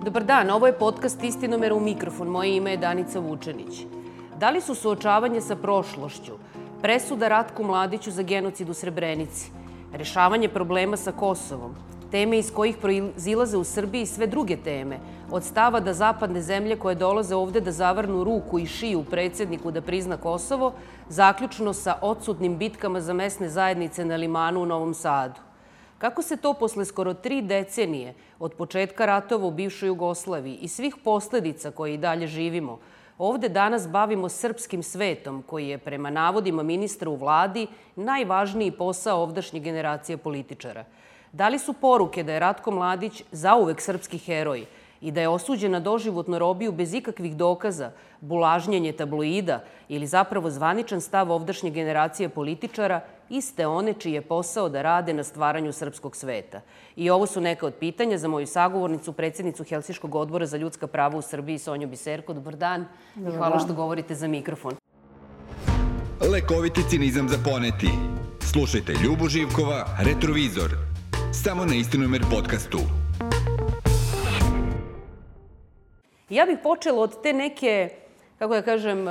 Dobar dan, ovo je podcast Istinomera u mikrofon. Moje ime je Danica Vučenić. Da li su suočavanje sa prošlošću, presuda Ratku Mladiću za genocid u Srebrenici, rešavanje problema sa Kosovom, teme iz kojih proizilaze u Srbiji sve druge teme, od stava da zapadne zemlje koje dolaze ovde da zavrnu ruku i šiju predsjedniku da prizna Kosovo, zaključno sa odsutnim bitkama za mesne zajednice na Limanu u Novom Sadu. Kako se to posle skoro 3 decenije od početka ratova u bivšoj Jugoslaviji i svih posledica koje i dalje živimo, ovde danas bavimo srpskim svetom koji je prema navodima ministra u vladi najvažniji posao ovdašnje generacije političara? Da li su poruke da je Ratko Mladić zauvek srpski heroj i da je osuđen na doživotnu robiju bez ikakvih dokaza, bulažnjenje tabloida ili zapravo zvaničan stav ovdašnje generacije političara, iste one čiji je posao da rade na stvaranju srpskog sveta? I ovo su neka od pitanja za moju sagovornicu, predsjednicu Helsinškog odbora za ljudska prava u Srbiji, Sonju Biserko. Dobar dan i hvala što govorite za mikrofon. Lekoviti cinizam za poneti. Slušajte Ljubu Živkova, Retrovizor. Samo na Istinomer podcastu. Ja bih počela od te neke, kako da kažem,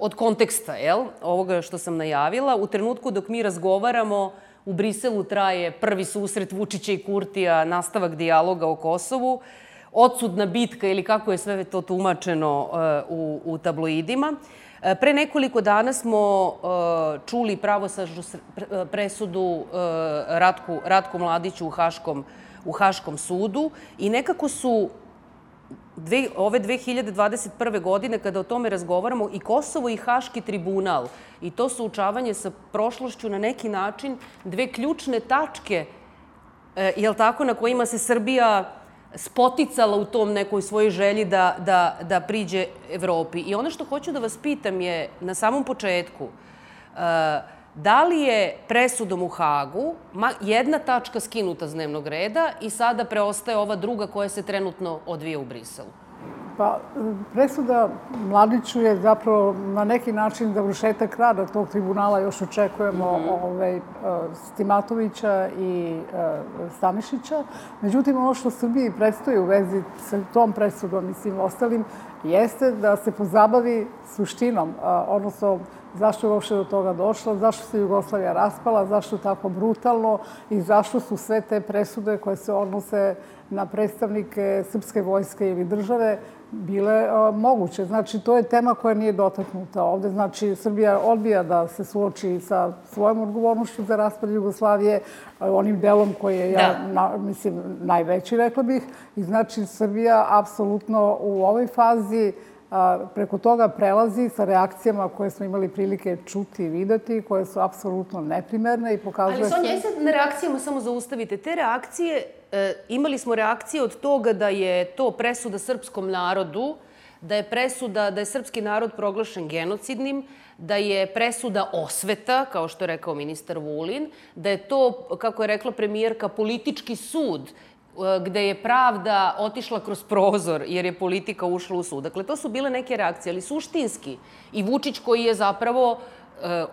od konteksta, ovoga što sam najavila. U trenutku dok mi razgovaramo, u Briselu traje prvi susret Vučića i Kurtija, nastavak dijaloga o Kosovu, odsudna bitka ili kako je sve to tumačeno u tabloidima. Pre nekoliko dana smo čuli pravosnažnu presudu Ratku Mladiću u Haškom sudu i nekako su ove 2021. godine, kada o tome razgovaramo, i Kosovo i Haški tribunal i to suočavanje sa prošlošću na neki način dve ključne tačke, na kojima se Srbija spoticala u tom nekoj svojoj želji da priđe Evropi. I ono što hoću da vas pitam je na samom početku, da li je presudom u Hagu jedna tačka skinuta s dnevnog reda i sada preostaje ova druga koja se trenutno odvija u Briselu? Pa, presuda Mladiću je zapravo na neki način završetak rada tog tribunala. Još očekujemo Stimatovića i Stanišića. Međutim, ono što Srbiji predstoji u vezi sa tom presudom i svim ostalim jeste da se pozabavi suštinom, odnosno zašto je uopšte do toga došlo, zašto se Jugoslavija raspala, zašto tako brutalno i zašto su sve te presude koje se odnose na predstavnike srpske vojske ili države bile moguće. Znači, to je tema koja nije dotaknuta ovde. Znači, Srbija odbija da se suoči sa svojom odgovornošću za raspad Jugoslavije, onim delom koji je, najveći, rekla bih. I znači, Srbija apsolutno u ovoj fazi preko toga prelazi sa reakcijama koje smo imali prilike čuti i videti, koje su apsolutno neprimerne i pokazuje... Ali Sonja, sad na reakcijama samo zaustavite. Te reakcije, imali smo reakcije od toga da je to presuda srpskom narodu, da je srpski narod proglašen genocidnim, da je presuda osveta, kao što je rekao ministar Vulin, da je to, kako je rekla premijerka, politički sud, gde je pravda otišla kroz prozor jer je politika ušla u sud. Dakle, to su bile neke reakcije, ali suštinski. I Vučić koji je zapravo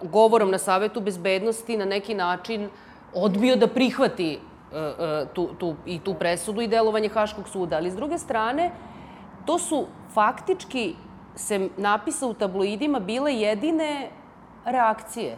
govorom na Savetu bezbednosti na neki način odbio da prihvati tu presudu i delovanje Haškog suda. Ali s druge strane, to su faktički, se napisa u tabloidima, bile jedine reakcije.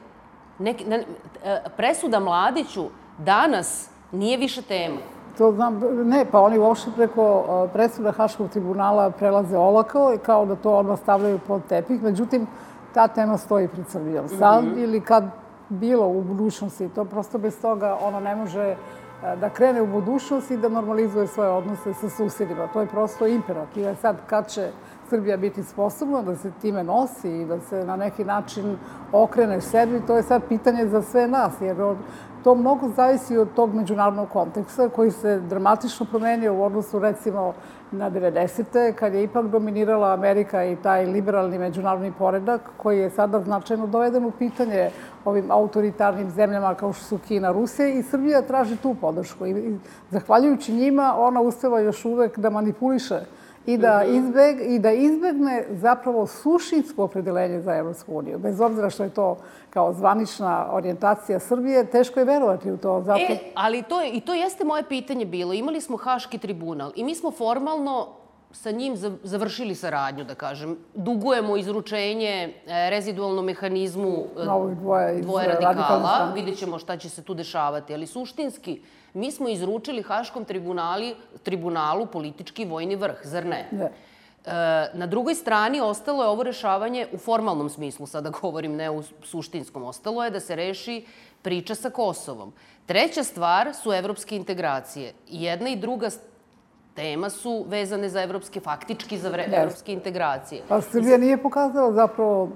Presuda Mladiću danas nije više tema. To znam, ne, pa oni uopšte preko presuda Haškog tribunala prelaze olako i kao da to odmah stavljaju pod tepih. Međutim, ta tema stoji pred Srbijom. Sad ili kad bilo u budućnosti, to prosto bez toga ona ne može da krene u budućnost i da normalizuje svoje odnose sa susjedima. To je prosto imperativ. Sad, kad će Srbija biti sposobna da se time nosi i da se na neki način okrene sebi, to je sad pitanje za sve nas, jer to mnogo zavisi od tog međunarodnog konteksta koji se dramatično promenio u odnosu, recimo, na 90. kad je ipak dominirala Amerika i taj liberalni međunarodni poredak koji je sada značajno doveden u pitanje ovim autoritarnim zemljama kao što su Kina, Rusija i Srbija traži tu podršku. I zahvaljujući njima ona uspeva još uvek da manipuliše i da izbegne zapravo suštinsko opredeljenje za Evropsku uniju. Bez obzira što je to kao zvanična orijentacija Srbije, teško je verovati u to. Ali to jeste moje pitanje bilo. Imali smo Haški tribunal i mi smo formalno sa njim završili saradnju, da kažem. Dugujemo izručenje rezidualnom mehanizmu dvoje radikala. Vidjet ćemo šta će se tu dešavati. Ali suštinski, mi smo izručili Haškom tribunalu politički vojni vrh, zar ne? Na drugoj strani ostalo je ovo rešavanje u formalnom smislu, sada govorim, ne u suštinskom. Ostalo je da se reši priča sa Kosovom. Treća stvar su evropske integracije. Jedna i druga tema su vezane za faktički za evropske integracije. Pa Srbija nije pokazala zapravo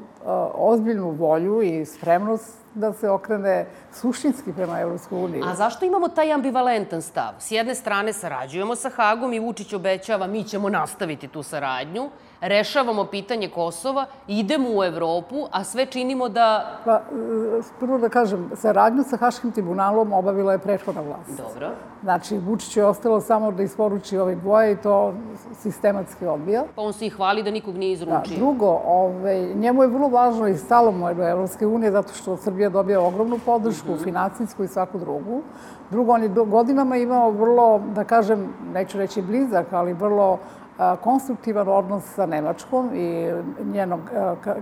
ozbiljnu volju i spremnost da se okrene suštinski prema Evropskoj uniji. A zašto imamo taj ambivalentan stav? S jedne strane sarađujemo sa Hagom i Vučić obećava mi ćemo nastaviti tu saradnju, rešavamo pitanje Kosova, idemo u Evropu, a sve činimo da... Pa, prvo da kažem, saradnju sa Haškim tribunalom obavila je prethodna vlast. Dobro. Znači, Vučić je ostalo samo da isporuči ove dvoje i to sistematski odbija. Pa on se i hvali da nikog nije izručio. Drugo, njemu je vrlo važno i stalo mu je do Evropske unije zato što Srbija dobija ogromnu podršku, finansijsku i svaku drugu. Drugo, on je godinama imao vrlo, da kažem, neću reći blizak, ali vrlo konstruktivan odnos sa Nemačkom i njenom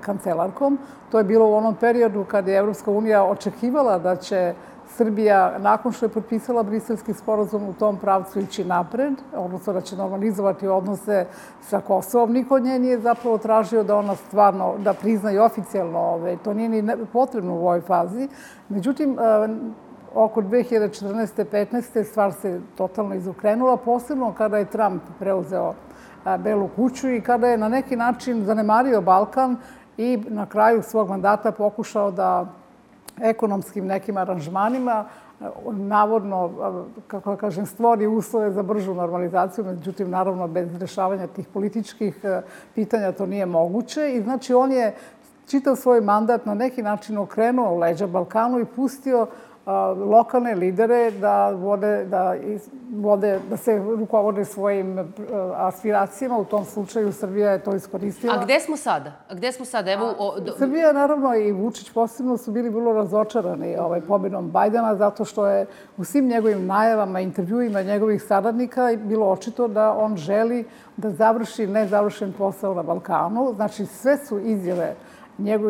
kancelarkom. To je bilo u onom periodu kad je Evropska unija očekivala da će Srbija, nakon što je potpisala Briselski sporazum, u tom pravcu ići napred, odnosno da će normalizovati odnose sa Kosovom. Niko od nje nije zapravo tražio da ona stvarno, da prizna i oficijalno, to nije ni potrebno u ovoj fazi. Međutim, oko 2014. 15. stvar se totalno izokrenula, posebno kada je Trump preuzeo Belu kuću i kada je na neki način zanemario Balkan i na kraju svog mandata pokušao da ekonomskim nekim aranžmanima navodno, kako da kažem, stvori uslove za bržu normalizaciju, međutim, naravno, bez rešavanja tih političkih pitanja to nije moguće. I znači, on je čitav svoj mandat na neki način okrenuo leđa Balkanu i pustio lokalne lidere da se rukovode svojim aspiracijama. U tom slučaju Srbija je to iskoristila. A gde smo sada? Srbija, naravno, i Vučić posebno su bili vrlo razočarani pobedom Bajdena zato što je u svim njegovim najavama, intervjuima njegovih saradnika bilo očito da on želi da završi nezavršen posao na Balkanu. Znači, sve su izjave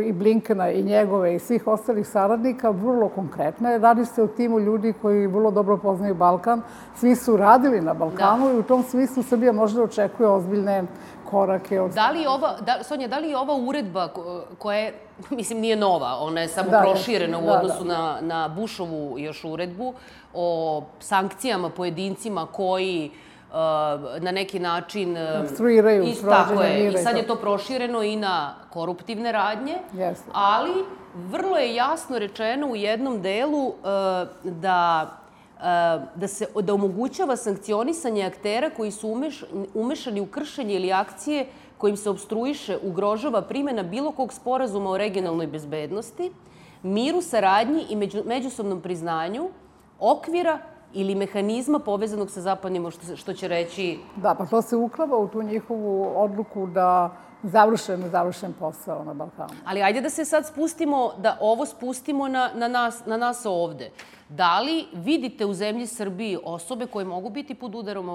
i Blinkena i njegove i svih ostalih saradnika vrlo konkretne. Radi se o timu ljudi koji vrlo dobro poznaju Balkan. Svi su radili na Balkanu i u tom smislu Srbija možda očekuje ozbiljne korake. Sonja, da li je ova uredba koja je, mislim, nije nova, ona je samo proširena u odnosu na Bushovu još uredbu o sankcijama pojedincima koji na neki način obstruiraju sprovođenje mira. I sad je to prošireno i na koruptivne radnje, ali vrlo je jasno rečeno u jednom delu da omogućava sankcionisanje aktera koji su umešani u kršenje ili akcije kojim se obstruiše, ugrožava primjena bilo kog sporazuma o regionalnoj bezbednosti, miru, saradnji i međusobnom priznanju, okvira ili mehanizma povezanog sa zapadnim, što će reći... Da, pa to se uklapa u tu njihovu odluku da završen posao na Balkanu. Ali ajde da se sad spustimo, da ovo spustimo na nas ovde. Da li vidite u zemlji Srbiji osobe koje mogu biti pod udarom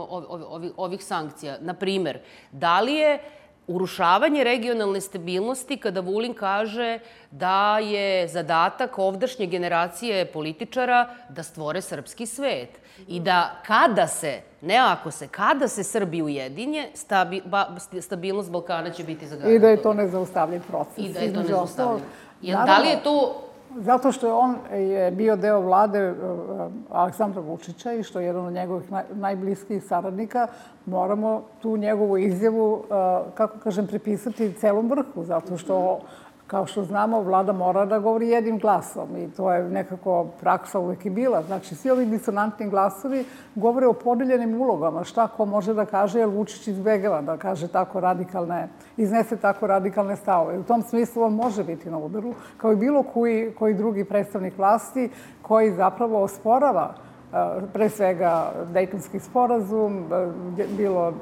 ovih sankcija? Naprimer, da li je urušavanje regionalne stabilnosti kada Vulin kaže da je zadatak ovdašnje generacije političara da stvore srpski svet i da kada se Srbi ujedinje, stabilnost Balkana će biti zagarantovana. I da je to nezaustavljiv proces. I da je to nezaustavljiv. Da li je to... Zato što je on bio deo vlade Aleksandra Vučića i što je jedan od njegovih najbliskijih saradnika, moramo tu njegovu izjavu, kako kažem, pripisati celom vrhu, zato što, kao što znamo, vlada mora da govori jednim glasom i to je nekako praksa uvek i bila. Znači, svi ovi disonantni glasovi govore o podeljenim ulogama, šta ko može da kaže, jer Vučić izbegava da kaže iznese tako radikalne stavove. U tom smislu on može biti na udaru, kao i bilo koji drugi predstavnik vlasti koji zapravo osporava pre svega Dejtonski sporazum, bilo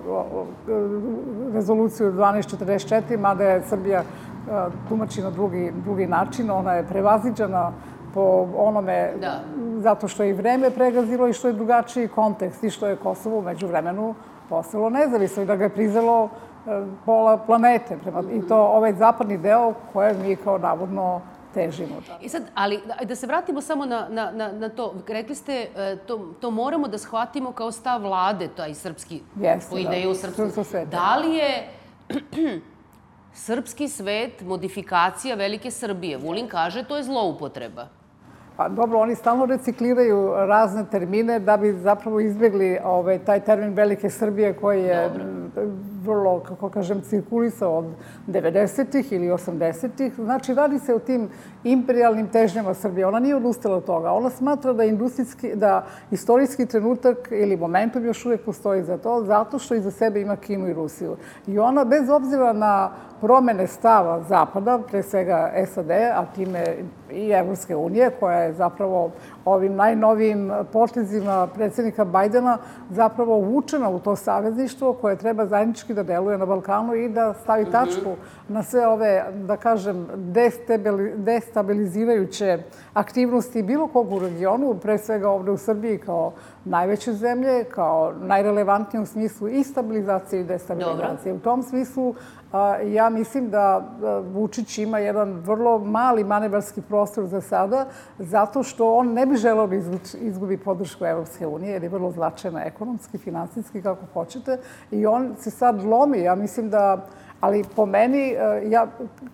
rezoluciju 1244, mada je Srbija tumači na drugi način. Ona je prevaziđena po onome, zato što je i vreme pregazilo i što je drugačiji kontekst i što je Kosovo umeđu vremenu postalo nezavisno i da ga je priznalo pola planete. I to ovaj zapadni deo koje mi kao navodno težimo. I sad, ali da se vratimo samo na to. Rekli ste, to moramo da shvatimo kao stav vlade, taj srpski, po ideju srpskog. Da li je srpski svet modifikacija velike Srbije? Vulin kaže to je zloupotreba. Pa dobro, oni stalno recikliraju razne termine da bi zapravo izbjegli taj termin velike Srbije koji je vrlo, kako kažem, cirkulisao od 90-ih ili 80-ih. Znači, radi se o tim imperijalnim težnjama Srbije. Ona nije odustala od toga. Ona smatra da istorijski trenutak ili momentum još uvijek postoji za to, zato što iza sebe ima Kinu i Rusiju. I ona, bez obzira na promene stava Zapada, pre svega SAD, a time i Evropske unije, koja je zapravo ovim najnovijim potezima predsjednika Bajdena zapravo uvučena u to savezništvo koje treba zajednički da deluje na Balkanu i da stavi tačku na sve ove, da kažem, destabilizirajuće aktivnosti bilo kog u regionu, pre svega ovde u Srbiji kao najveće zemlje, kao najrelevantnije u smislu i stabilizacije i destabilizacije. U tom smislu ja mislim da Vučić ima jedan vrlo mali manevarski prostor za sada, zato što on ne bi želeo da izgubi podršku Evropske unije, jer je vrlo značajna ekonomski, finansijski, kako hoćete. I on se sad lomi. Ja mislim da, ali po meni,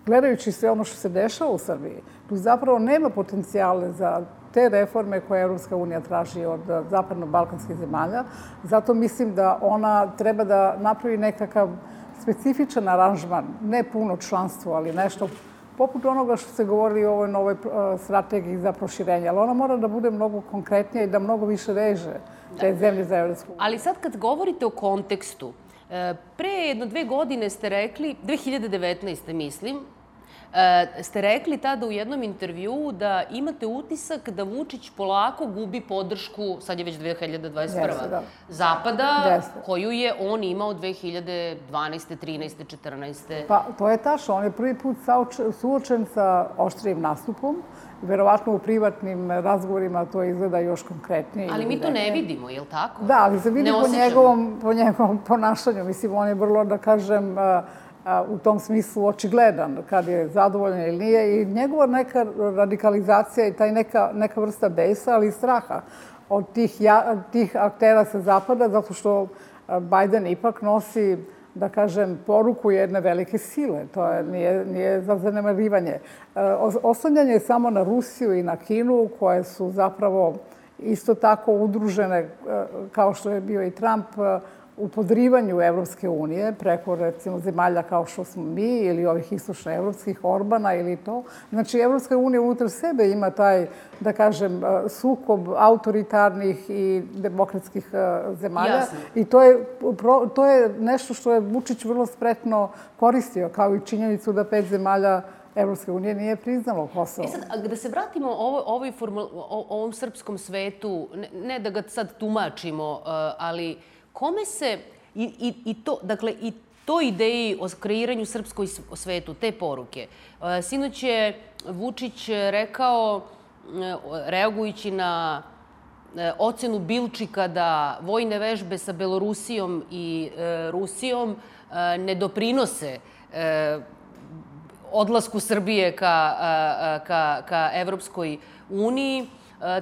gledajući sve ono što se dešava u Srbiji, tu zapravo nema potencijale za te reforme koje Evropska unija traži od zapadno-balkanskih zemalja. Zato mislim da ona treba da napravi nekakav specifičan aranžman, ne puno članstvo, ali nešto poput onoga što se govori o ovoj novoj strategiji za proširenje. Ali ona mora da bude mnogo konkretnija i da mnogo više veže te zemlje za Evropsku uniju. Ali sad kad govorite o kontekstu, pre 1-2 godine ste rekli, 2019. mislim, ste rekli tada u jednom intervjuu da imate utisak da Vučić polako gubi podršku, sad je već 2021. Zapada, koju je on imao 2012. 13. 14. Pa, to je tačno. On je prvi put suočen sa oštrijim nastupom. Verovatno u privatnim razgovorima to izgleda još konkretnije. Ali mi to ne vidimo, je li tako? Da, ali se vidi po njegovom ponašanju. Mislim, on je vrlo, da kažem, u tom smislu očigledan, kad je zadovoljan ili nije. I njegova neka radikalizacija i taj neka vrsta besa, ali i straha od tih aktera sa Zapada, zato što Bajden ipak nosi, da kažem, poruku jedne velike sile. To nije za zanemarivanje. Oslanjanje je samo na Rusiju i na Kinu, koje su zapravo isto tako udružene, kao što je bio i Trump, u podrivanju Evropske unije preko, recimo, zemalja kao što smo mi ili ovih istočnoevropskih, Orbana ili to. Znači, Evropska unija unutar sebe ima taj, da kažem, sukob autoritarnih i demokratskih zemalja. I to je nešto što je Vučić vrlo spretno koristio, kao i činjenicu da 5 zemalja Evropske unije nije priznalo Kosovo. Sad, da se vratimo ovom srpskom svetu, ne da ga sad tumačimo, ali kome se, i toj ideji o kreiranju srpskoj svetu, te poruke. Sinoć je Vučić rekao, reagujući na ocenu Bilčika da vojne vežbe sa Belorusijom i Rusijom ne doprinose odlasku Srbije ka Evropskoj uniji.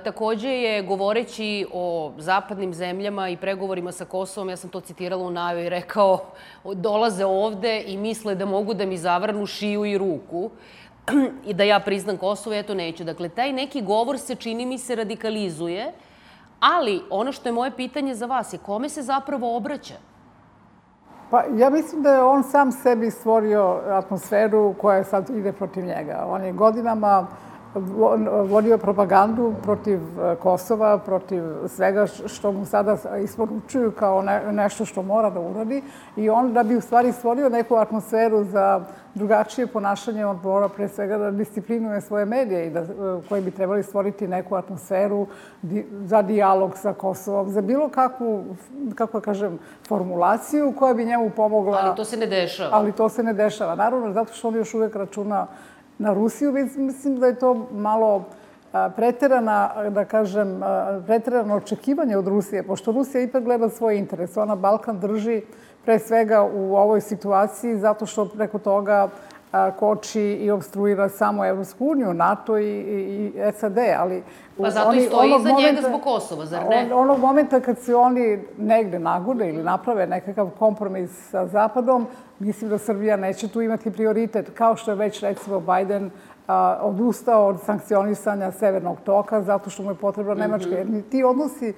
Takođe je, govoreći o zapadnim zemljama i pregovorima sa Kosovom, ja sam to citirala u najavama, rekao, dolaze ovde i misle da mogu da mi zavrnu šiju i ruku i da ja priznam Kosovo, ja to neću. Dakle, taj neki govor se, čini mi se, radikalizuje, ali ono što je moje pitanje za vas je kome se zapravo obraća? Pa ja mislim da je on sam sebi stvorio atmosferu koja sad ide protiv njega. On je godinama vodio propagandu protiv Kosova, protiv svega što mu sada isporučuju kao nešto što mora da uradi. I on, da bi u stvari stvorio neku atmosferu za drugačije ponašanje, on mora pre svega da disciplinuje svoje medije i koji bi trebali stvoriti neku atmosferu za dijalog sa Kosovom, za bilo kakvu, kako kažem, formulaciju koja bi njemu pomogla. Ali to se ne dešava. Ali to se ne dešava. Naravno, zato što on još uvek računa na Rusiju. Mislim da je to malo preterano očekivanje od Rusije, pošto Rusija ipak gleda svoj interes. Ona Balkan drži pre svega u ovoj situaciji zato što preko toga koči i obstruira samo Evropsku uniju, NATO i SAD, ali... Pa zato i stoji iza njega zbog Kosova, zar ne? Onog momenta kad se oni negde nagude ili naprave nekakav kompromis sa Zapadom, mislim da Srbija neće tu imati prioritet, kao što je već, recimo, Biden odustao od sankcionisanja Severnog toka zato što mu je potrebna Nemačka. Jer ti odnosi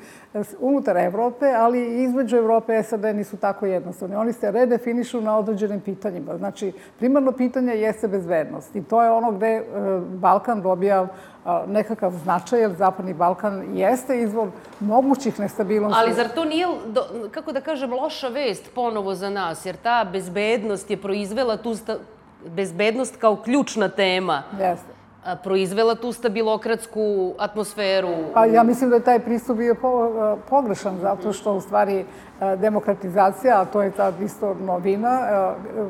unutar Evrope, ali i između Evrope i SAD nisu tako jednostavni. Oni se redefinišu na određenim pitanjima. Znači, primarno pitanje jeste bezbednost. I to je ono gde Balkan dobija nekakav značaj, jer Zapadni Balkan jeste izvor mogućih nestabilnosti. Ali zar to nije, kako da kažem, loša vest ponovo za nas? Jer ta bezbednost je proizvela tu bezbednost kao ključna tema. Jeste. Proizvela tu stabilokratsku atmosferu. Pa ja mislim da je taj pristup bio pogrešan, zato što u stvari demokratizacija, a to je tad isto novina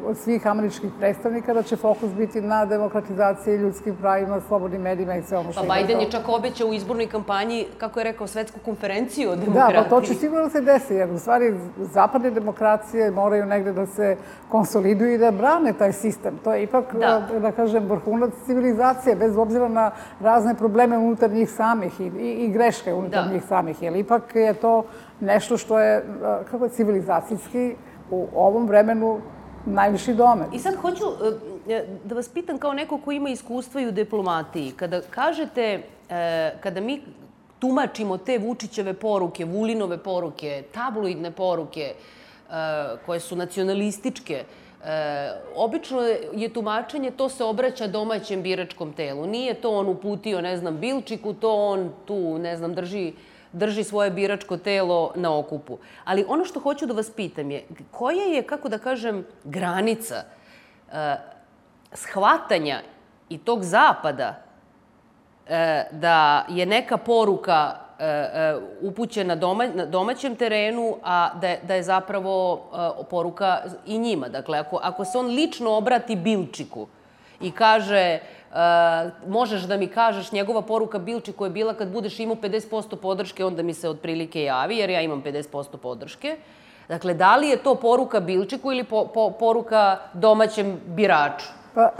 od svih američkih predstavnika, da će fokus biti na demokratizaciji, ljudskim pravima, slobodnim medijima i sve ono što je. Pa Biden je čak obećao u izbornoj kampanji, kako je rekao, svetsku konferenciju o demokratiji. Da, pa to će sigurno da se desi, jer u stvari zapadne demokracije moraju negde da se konsoliduju i da brane taj sistem. To je ipak, da kažem, vrhunac civilizacije, bez obzira na razne probleme unutar njih samih i greške unutar njih samih. Jer ipak je to nešto što je, kako je, civilizacijski u ovom vremenu najviši domet. I sad hoću da vas pitam kao neko ko ima iskustva i u diplomatiji. Kada kažete, kada mi tumačimo te Vučićeve poruke, Vulinove poruke, tabloidne poruke, koje su nacionalističke, obično je tumačenje, to se obraća domaćem biračkom telu. Nije to on uputio, ne znam, Bilčiku, to on tu, ne znam, drži svoje biračko telo na okupu. Ali ono što hoću da vas pitam je, koja je, kako da kažem, granica shvatanja i tog Zapada da je neka poruka upućena na domaćem terenu, a da je zapravo poruka i njima. Dakle, ako se on lično obrati Bilčiku i kaže možeš da mi kažeš, njegova poruka Bilčiku je bila kad budeš imao 50% podrške, onda mi se otprilike javi, jer ja imam 50% podrške. Dakle, da li je to poruka Bilčiku ili poruka domaćem biraču? Pa,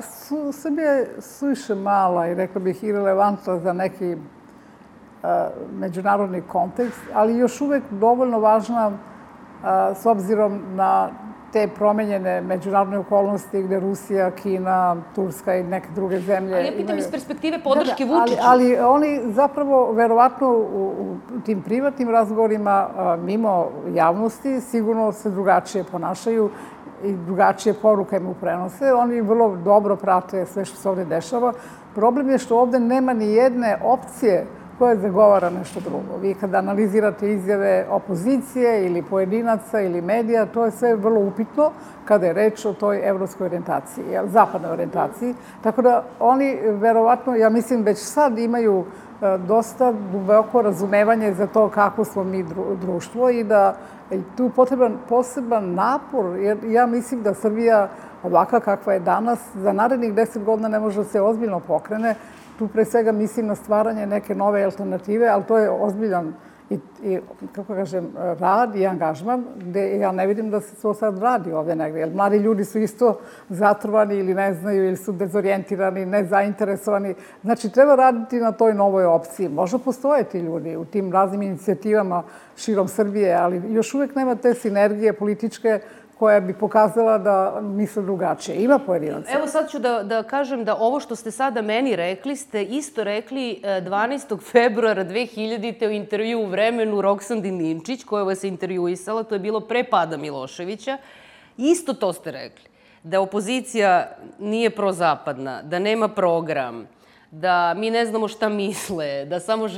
Srbija je suviše mala i, rekla bih, irelevantna za neki međunarodni kontekst, ali još uvek dovoljno važna s obzirom na te promenjene međunarodne okolnosti gde Rusija, Kina, Turska i neke druge zemlje... Ali ja pitam iz perspektive podrške Vučiću. Ali oni zapravo, verovatno, u tim privatnim razgovorima, mimo javnosti, sigurno se drugačije ponašaju i drugačije poruke mu prenose. Oni vrlo dobro prate sve što se ovde dešava. Problem je što ovde nema ni jedne opcije koja zagovara nešto drugo. Vi kada analizirate izjave opozicije ili pojedinaca ili medija, to je sve vrlo upitno kada je reč o toj evropskoj orijentaciji, zapadnoj orijentaciji. Tako da oni, verovatno, ja mislim, već sad imaju dosta duboko razumevanje za to kako smo mi društvo i da je tu potreban poseban napor, jer ja mislim da Srbija, ovaka kakva je danas, za narednih 10 godina ne može da se ozbiljno pokrene. Tu pre svega mislim na stvaranje neke nove alternative, ali to je ozbiljan i kako kažem, rad i angažman, gde ja ne vidim da se to sad radi ovde negde. Jer mladi ljudi su isto zatrovani ili ne znaju, ili su dezorijentirani, nezainteresovani. Znači, treba raditi na toj novoj opciji. Možda postoje ti ljudi u tim raznim inicijativama širom Srbije, ali još uvek nema te sinergije političke koja bi pokazala da misle drugačije. Ima pojedinaca. Evo sad ću da kažem da ovo što ste sada meni rekli, ste isto rekli 12. februara 2000. u intervju u Vremenu Roksandi Ninčić, koja vas je intervjuisala, to je bilo pre pada Miloševića. Isto to ste rekli. Da opozicija nije prozapadna, da nema program, da mi ne znamo šta misle, da samo...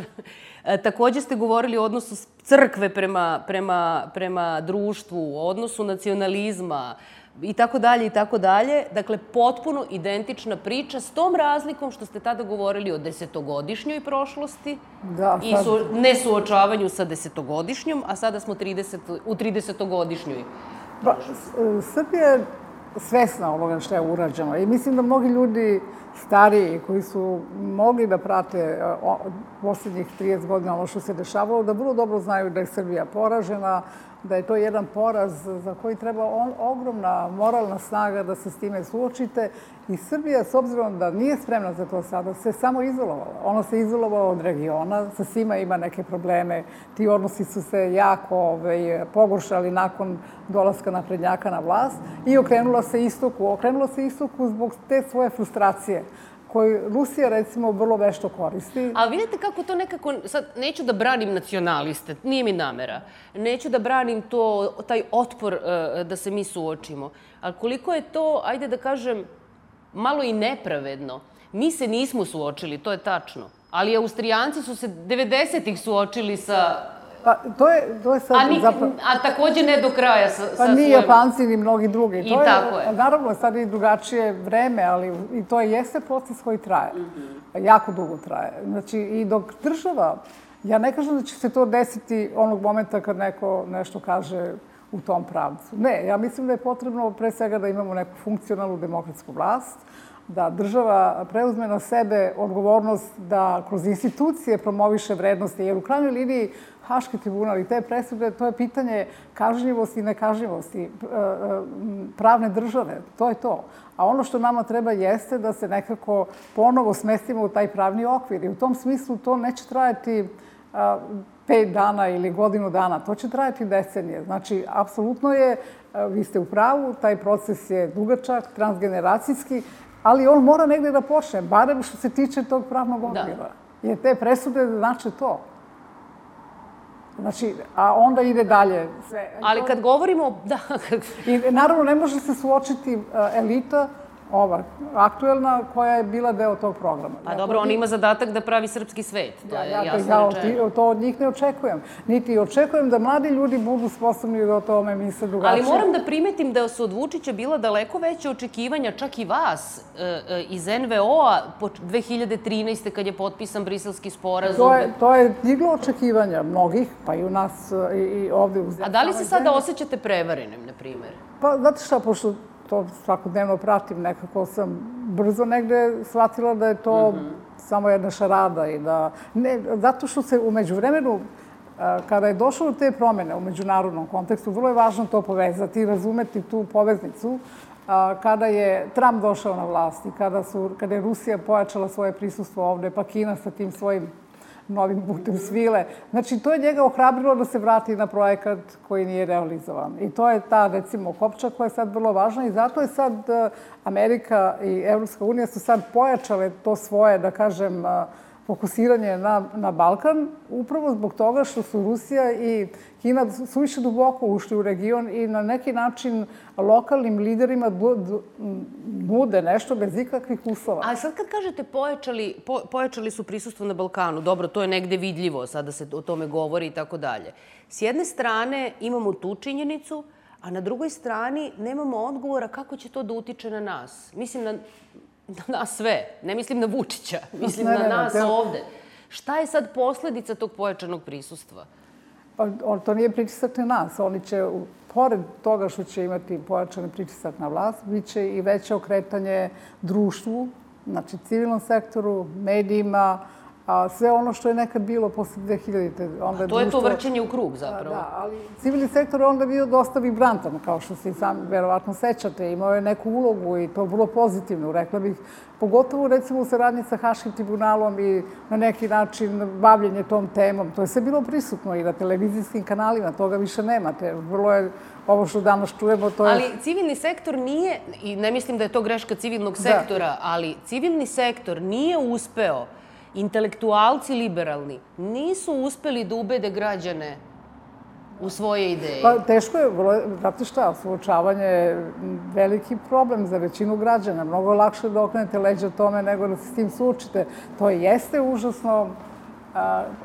Takođe ste govorili o odnosu crkve prema društvu, o odnosu nacionalizma i tako dalje, i tako dalje. Dakle, potpuno identična priča s tom razlikom što ste tada govorili o 10-godišnjoj prošlosti i nesuočavanju sa 10-godišnjom, a sada smo u 30-godišnjoj prošlosti. Srbija je svesna onoga što je urađeno i mislim da mnogi ljudi stariji koji su mogli da prate posljednjih 30 godina ono što se dešavalo, da vrlo dobro znaju da je Srbija poražena, da je to jedan poraz za koji treba ogromna moralna snaga da se s time suočite. I Srbija, s obzirom da nije spremna za to sada, se samo izolovala. Ona se izolovala od regiona, sa svima ima neke probleme. Ti odnosi su se jako pogoršali nakon dolaska naprednjaka na vlast i okrenula se istoku. Okrenula se istoku zbog te svoje frustracije koju Rusija, recimo, vrlo vešto koristi. Ali vidite kako to nekako... Sad, neću da branim nacionaliste, nije mi namera. Neću da branim taj otpor da se mi suočimo. Ali koliko je to, ajde da kažem, malo i nepravedno. Mi se nismo suočili, to je tačno. Ali Austrijanci su se 90-ih suočili sa... Pa, to je sad zapravo... A takođe ne do kraja sa Pa ni Japanci, ni mnogi drugi. I tako je. Naravno, sad je drugačije vreme, ali i to jeste proces koji traje. Jako dugo traje. Znači, i dok država... Ja ne kažem da će se to desiti onog momenta kad neko nešto kaže u tom pravcu. Ne, ja mislim da je potrebno pre svega da imamo neku funkcionalnu demokratsku vlast, da država preuzme na sebe odgovornost da kroz institucije promoviše vrednosti, jer u krajnjoj liniji Haški tribunal i te presude, to je pitanje kažnjivosti i nekažnjivosti pravne države. To je to. A ono što nama treba jeste da se nekako ponovo smestimo u taj pravni okvir. I u tom smislu to neće trajati 5 dana ili godinu dana. To će trajati decenije. Znači, apsolutno je, vi ste u pravu, taj proces je dugačak, transgeneracijski, ali on mora negde da počne, barem što se tiče tog pravnog okvira. Jer te presude znače to. Znači, a onda ide dalje sve. Ali kad govorimo... I naravno ne može se suočiti elita, ova aktuelna, koja je bila deo tog programa. Pa dobro, on ima zadatak da pravi srpski svet, to je jasno rečeno. To od njih ne očekujem. Niti očekujem da mladi ljudi budu sposobni da o tome misle drugačije. Ali moram da primetim da su od Vučića bila daleko veće očekivanja, čak i vas, iz NVO-a 2013. kad je potpisan Briselski sporazum. To je diglo očekivanja mnogih, pa i u nas i ovde u zemlji. A da li se sada osjećate prevarenim, na primer? Pa, znate šta, pošto to svakodnevno pratim, nekako sam brzo negde shvatila da je to samo jedna šarada i da... Ne, zato što se umeđu vremenu, kada je došlo do te promene u međunarodnom kontekstu, vrlo je važno to povezati i razumeti tu poveznicu. Kada je Trump došao na vlast i kada je Rusija pojačala svoje prisustvo ovde, pa Kina sa tim svojim novim putem svile. Znači, to je njega ohrabrilo da se vrati na projekat koji nije realizovan. I to je ta, recimo, kopča koja je sad vrlo važna i zato je sad Amerika i Evropska unija su sad pojačale to svoje, da kažem, fokusiranje na Balkan, upravo zbog toga što su Rusija i Kina suviše duboko ušli u region i na neki način lokalnim liderima nude nešto bez ikakvih uslova. A sad kad kažete pojačali su prisustvo na Balkanu, dobro, to je negde vidljivo, sada se o tome govori i tako dalje. S jedne strane imamo tu činjenicu, a na drugoj strani nemamo odgovora kako će to da utiče na nas. Mislim na nas sve. Ne mislim na Vučića. Mislim na nas ovde. Šta je sad posledica tog pojačanog prisustva? To nije pritisak na nas. Oni će, pored toga što će imati pojačan pritisak na vlast, bit će i veće okretanje društvu, znači civilnom sektoru, medijima, a sve ono što je nekad bilo posle 2000-te. A to je to vrćenje u krug, zapravo. Da, ali civilni sektor je onda bio dosta vibrantan, kao što se i sami verovatno sećate. Imao je neku ulogu i to vrlo pozitivnu, rekla bih. Pogotovo, recimo, u saradnji sa Haškim tribunalom i na neki način bavljenje tom temom. To je sve bilo prisutno i na televizijskim kanalima, toga više nemate. Vrlo je ovo što danas čujemo, to je... Ali civilni sektor nije, i ne mislim da je to greška civilnog sektora, ali civilni sektor nije uspeo, intelektualci liberalni nisu uspeli da ubede građane u svoje ideje? Pa teško je, znate šta, suočavanje je veliki problem za većinu građana. Mnogo lakše da okrenete leđa tome nego da se s tim suočite. To jeste užasno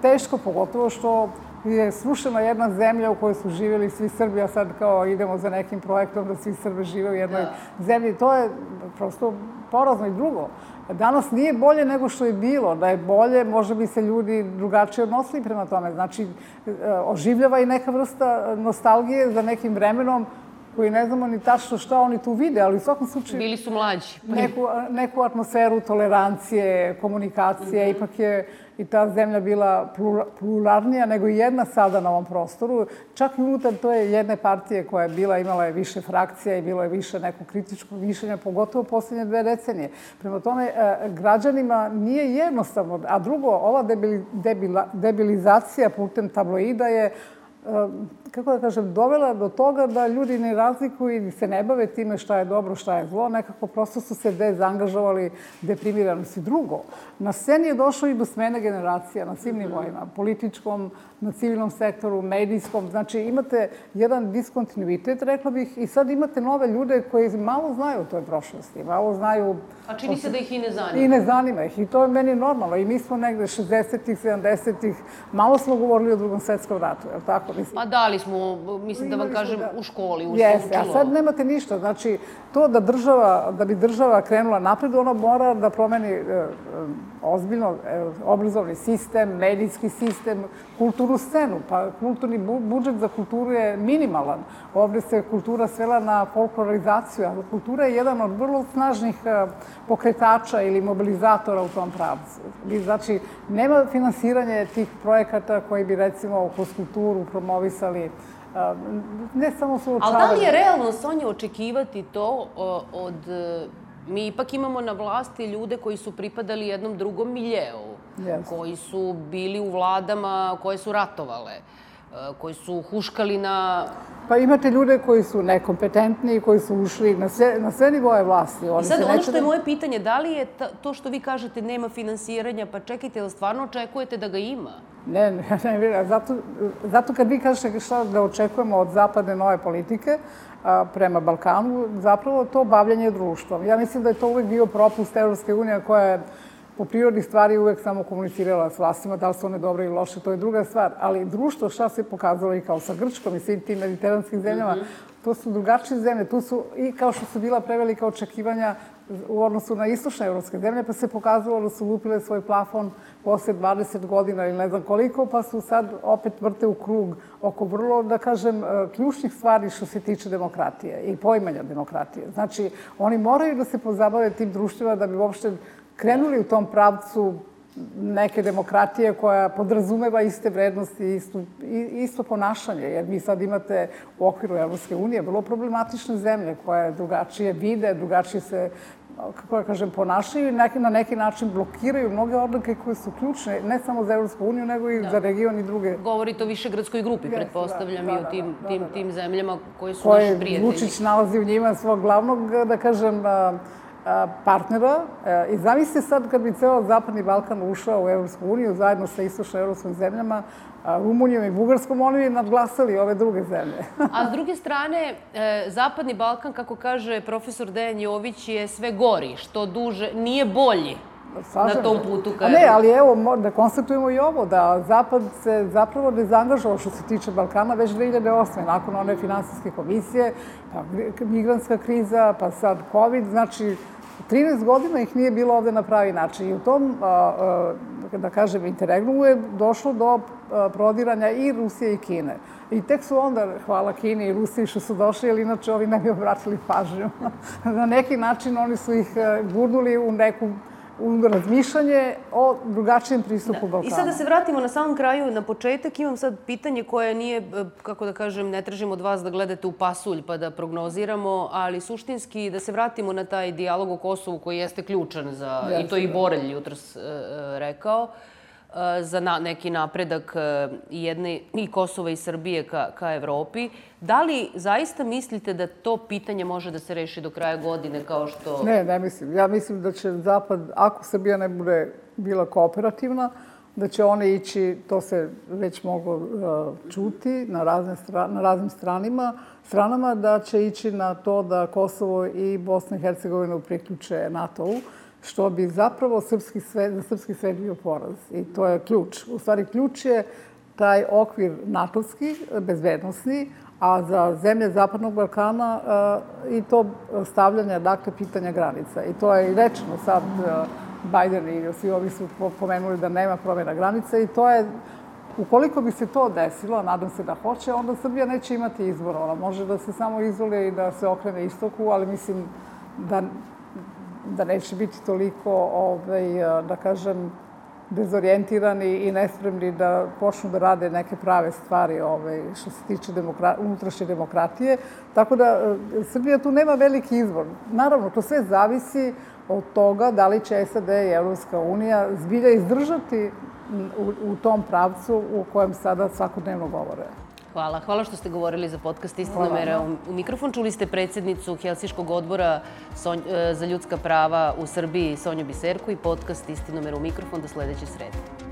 teško, pogotovo što je srušena jedna zemlja u kojoj su živjeli svi Srbi, a sad kao idemo za nekim projektom da svi Srbi žive u jednoj zemlji. To je prosto porazno. I drugo, danas nije bolje nego što je bilo. Da je bolje, možda bi se ljudi drugačije odnosili prema tome. Znači, oživljava i neka vrsta nostalgije za nekim vremenom koji ne znamo ni tačno šta oni tu vide, ali u svakom slučaju... Bili su mlađi. Neku atmosferu tolerancije, komunikacije, ipak je i ta zemlja bila pluralnija nego i jedna sada na ovom prostoru. Čak i unutar to je jedne partije koja je bila, imala je više frakcija i bilo je više nekog kritičkog mišljenja, pogotovo posljednje 2 decenije. Prema tome, građanima nije jednostavno. A drugo, ova debilizacija putem tabloida je, kako da kažem, dovela do toga da ljudi ne razlikuju i se ne bave time šta je dobro, šta je zlo. Nekako prosto su se dezangažovali, deprimirano si. Drugo, na sceni je došlo i do smene generacija na svim nivoima. Političkom, na civilnom sektoru, medijskom. Znači, imate jedan diskontinuitet, rekla bih, i sad imate nove ljude koji malo znaju o toj prošlosti. Malo znaju... A čini se da ih i ne zanima. I ne zanima ih. I to je meni normalno. I mi smo negde 60-ih, 70-ih, malo smo govorili o Drugom svetskom ratu, je li tako? Pa da li smo, mislim da vam kažem, u školi, u Jeste, a sad nemate ništa. Znači, to da bi država krenula napred, ona mora da promeni ozbiljno obrazovni sistem, medijski sistem, kulturnu scenu. Pa kulturni budžet za kulturu je minimalan. Ovde se kultura svela na folklorizaciju, a kultura je jedan od vrlo snažnih pokretača ili mobilizatora u tom pravcu. Znači, nema finansiranja tih projekata koji bi, recimo, kroz kulturu promovisali ne samo suočavanje. Ali da li je realno, Sonja, očekivati to od... Mi ipak imamo na vlasti ljude koji su pripadali jednom drugom miljeu, koji su bili u vladama koje su ratovale, koji su huškali na... Pa imate ljude koji su nekompetentni i koji su ušli na sve nivoje vlasti. I sad ono što je moje pitanje, da li je to što vi kažete nema finansiranja, pa čekajte, da stvarno očekujete da ga ima? Ne. Zato kad vi kažete šta da očekujemo od zapadne nove politike prema Balkanu, zapravo to bavljanje društvom. Ja mislim da je to uvek bio propust Evropske unije koja je po prirodi stvari uvek samo komunicirala s vlastima, da li su one dobre ili loše, to je druga stvar. Ali društvo, šta se pokazalo i kao sa Grčkom i svim tim mediteranskim zemljama, to su drugačije zemlje. Tu su i kao što su bila prevelika očekivanja u odnosu na istočne evropske zemlje, pa se pokazalo da su lupile svoj plafon posle 20 godina ili ne znam koliko, pa su sad opet vrte u krug oko vrlo, da kažem, ključnih stvari što se tiče demokratije i poimanja demokratije. Znači, oni moraju da se pozabave tim društvima da bi uopšte krenuli u tom pravcu neke demokratije koja podrazumeva iste vrednosti i isto ponašanje. Jer mi sad imate u okviru Evropske unije vrlo problematične zemlje koje drugačije vide, drugačije se, kako da kažem, ponašaju i na neki način blokiraju mnoge odluke koje su ključne, ne samo za Evropsku uniju, nego i za region i druge. Govorite o Višegradskoj grupi, pretpostavljam, i o tim zemljama koji su naši prijatelji. Vučić nalazi u njima svog glavnog, da kažem, partnera. I zamislite sad kad bi ceo Zapadni Balkan ušao u Evropsku uniju zajedno sa istočno-evropskim zemljama, Rumunijom i Bugarskom, oni bi nadglasali ove druge zemlje. A s druge strane, Zapadni Balkan, kako kaže profesor Dejan Jović, je sve gori, što duže, nije bolji na tom putu. Ne, ali evo, da konstatujemo i ovo, da Zapad se zapravo dezangažovao što se tiče Balkana već 2008. nakon one finansijske komisije, pa migrantska kriza, pa sad COVID, znači 13 godina ih nije bilo ovde na pravi način. I u tom, da kažem, interregnumu je došlo do prodiranja i Rusije i Kine. I tek su onda, hvala Kini i Rusiji što su došli, jer inače ovi ne bi obratili pažnju. Na neki način oni su ih gurnuli u neku razmišljanje o drugačijem pristupu Balkanu. I sad da se vratimo na samom kraju, na početak, imam sad pitanje koje nije, kako da kažem, ne tražim od vas da gledate u pasulj pa da prognoziramo, ali suštinski da se vratimo na taj dijalog o Kosovu koji jeste ključan za, i to je i Borelj jutros rekao, za neki napredak i Kosova i Srbije ka Evropi. Da li zaista mislite da to pitanje može da se reši do kraja godine kao što... Ne mislim. Ja mislim da će Zapad, ako Srbija ne bude bila kooperativna, da će one ići, to se već moglo čuti na raznim stranama, da će ići na to da Kosovo i Bosna i Hercegovina priključe NATO-u, što bi zapravo za srpski svet bio poraz. I to je ključ. U stvari, ključ je taj okvir NATO-ski, bezbednosni, a za zemlje Zapadnog Balkana i to stavljanje, dakle, pitanja granica. I to je i rečeno sad, Biden i svi ovi su pomenuli da nema promjena granica i to je, ukoliko bi se to desilo, nadam se da hoće, onda Srbija neće imati izbora. Ona može da se samo izoluje i da se okrene istoku, ali mislim da neće biti toliko, da kažem, dezorijentirani i nespremni da počnu da rade neke prave stvari što se tiče unutrašnje demokratije. Tako da Srbija tu nema veliki izbor. Naravno, to sve zavisi od toga da li će SAD i Evropska unija zbilja izdržati u tom pravcu u kojem sada svakodnevno govore. Hvala. Hvala što ste govorili za podcast Istina mera u mikrofon. Čuli ste predsjednicu Helsinškog odbora za ljudska prava u Srbiji Sonju Biserku i podcast Istina mera u mikrofon do sledeće srede.